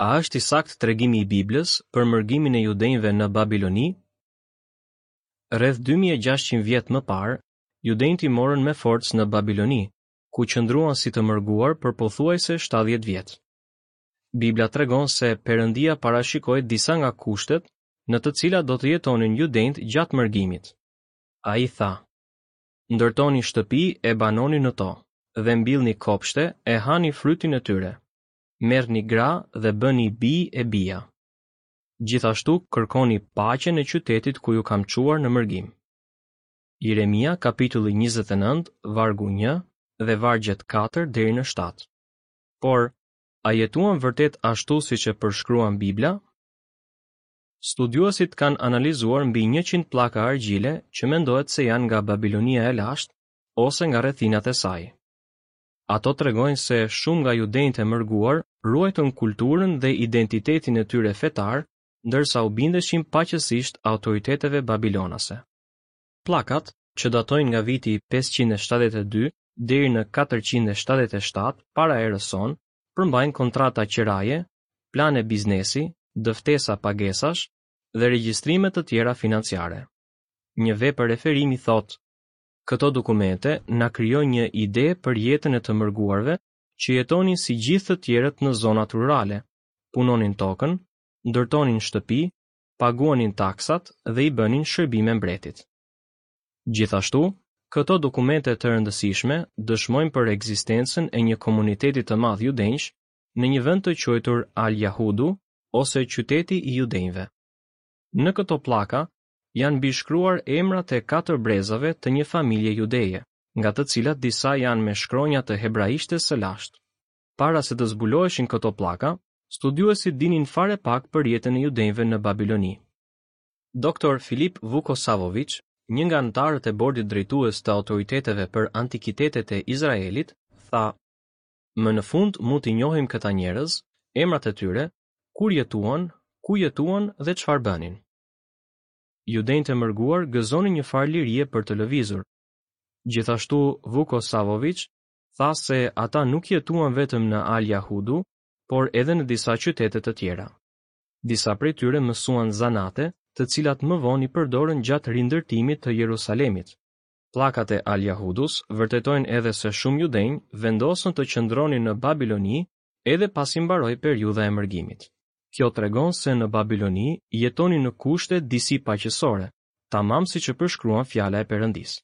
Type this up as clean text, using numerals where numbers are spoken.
A është i saktë tregimi i Biblës për mërgimin e judenjve në Babiloni? Rreth 2600 vjet më parë, judenjtë i morën me forcë në Babiloni, ku qëndruan si të mërguar për pothuajse 70 vjet. Bibla tregon se Perëndia parashikoi disa nga kushtet në të cilat do të jetonin judenjtë gjatë mërgimit. Ai tha: Ndërtoni shtëpi e banoni në to, dhe mbillni kopshte e hani frytin e tyre. Merrni gra dhe bëni bij e bija. Gjithashtu kërkoni paqen e qytetit ku ju kam çuar në mërgim. Jeremia kapitulli 29, vargu 1 dhe vargjet 4 deri në 7. Por, a jetuan vërtet ashtu siç e përshkruan Bibla? Studiuesit kanë analizuar mbi 100 pllaka argjile që mendohet se janë nga Babilonia e lashtë ose nga rrethinat e saj. Ato tregojnë se shumë nga judenjtë e mërguar ruajtën kulturën dhe identitetin e tyre fetar, ndërsa u bindeshin paqësisht autoriteteve babilonase. Pllakat, që datojnë nga viti 572 deri në 477 para erës sonë, përmbajnë kontrata qiraje, plane biznesi, dëftesa pagesash dhe regjistrime të tjera financiare. Një vepër referimi thotë, Këto dokumente na krijojnë një ide për jetën e të mërguarve që jetonin si gjithë të tjerët në zonat rurale, punonin tokën, ndërtonin shtëpi, paguanin taksat dhe i bënin shërbime mbretit. Gjithashtu, këto dokumente të rëndësishme dëshmojnë për ekzistencën e një komuniteti të madh judenjsh në një vend të quajtur Al-Yahudu ose qyteti i judenjve. Në këto pllaka janë mbishkruar emrat e katër brezave të një familje judeje, nga të cilat disa janë me shkronja të hebraishtes së lashtë. Para se të zbuloheshin këto pllaka, studiuesit dinin fare pak për jetën e judenjve në Babiloni. Doktor Filip Vukosavoviç, një nga anëtarët e bordit drejtues të autoriteteve për antikitetet e Izraelit, tha: Më në fund mund t'i njohim këta njerëz, emrat e tyre, kur jetuan, ku jetuan dhe çfarë bënin. Judenjtë e mërguar gëzonin një farë lirie për të lëvizur. Gjithashtu Vukosavoviç tha se ata nuk jetuan vetëm në Al Yahudu, por edhe në disa qytete të tjera. Disa prej tyre mësuan zanate, të cilat më vonë i përdorën gjatë rindërtimit të Jerusalemit. Pllakat e Al Yahudus vërtetojnë edhe se shumë judenj vendosën të qëndronin në Babiloni edhe pasi mbaroi periudha e mërgimit. Kjo tregon se në Babiloni jetonin në kushte disi paqësore, tamam siç e përshkruan fjala e Perëndisë.